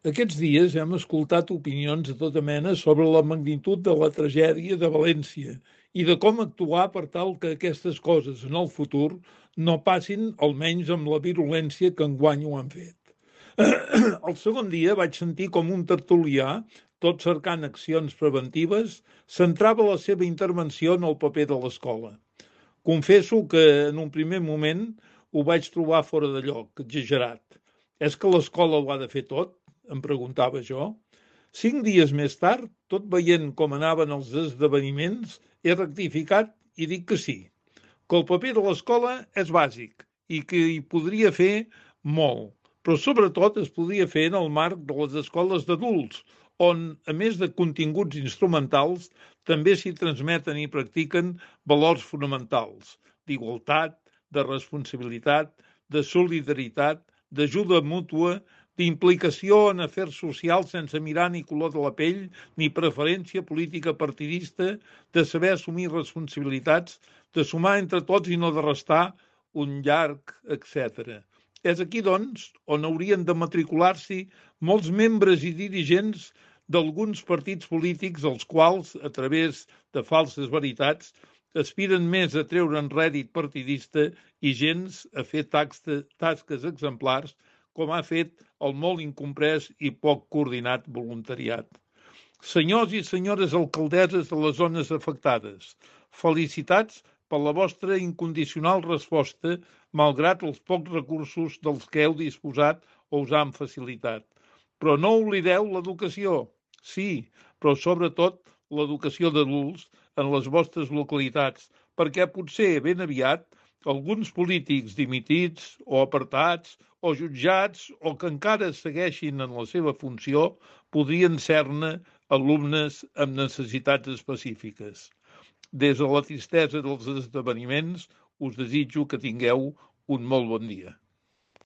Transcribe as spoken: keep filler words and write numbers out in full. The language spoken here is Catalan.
Aquests dies hem escoltat opinions de tota mena sobre la magnitud de la tragèdia de València i de com actuar per tal que aquestes coses en el futur no passin, almenys amb la virulència que enguany ho han fet. El segon dia vaig sentir com un tertulià, tot cercant accions preventives, centrava la seva intervenció en el paper de l'escola. Confesso que en un primer moment ho vaig trobar fora de lloc, exagerat. És que l'escola ho ha de fer tot? Em preguntava jo. Cinc dies més tard, tot veient com anaven els esdeveniments, he rectificat i dic que sí, que el paper de l'escola és bàsic i que hi podria fer molt, però sobretot es podria fer en el marc de les escoles d'adults, on, a més de continguts instrumentals, també s'hi transmeten i practiquen valors fonamentals d'igualtat, de responsabilitat, de solidaritat, d'ajuda mútua, d'implicació en afers socials sense mirar ni color de la pell ni preferència política partidista, de saber assumir responsabilitats, de sumar entre tots i no de restar un llarg, etcètera. És aquí, doncs, on haurien de matricular-s'hi molts membres i dirigents d'alguns partits polítics els quals, a través de falses veritats, aspiren més a treure'n rèdit partidista i gens a fer tasques exemplars com ha fet el molt incomprès i poc coordinat voluntariat. Senyors i senyores alcaldesses de les zones afectades, felicitats per la vostra incondicional resposta, malgrat els pocs recursos dels que heu disposat o us han facilitat. Però no oblideu l'educació, sí, però sobretot l'educació d'adults en les vostres localitats, perquè potser ben aviat alguns polítics dimitits o apartats o jutjats o que encara segueixin en la seva funció podrien ser-ne alumnes amb necessitats específiques. Des de la tristesa dels esdeveniments us desitjo que tingueu un molt bon dia.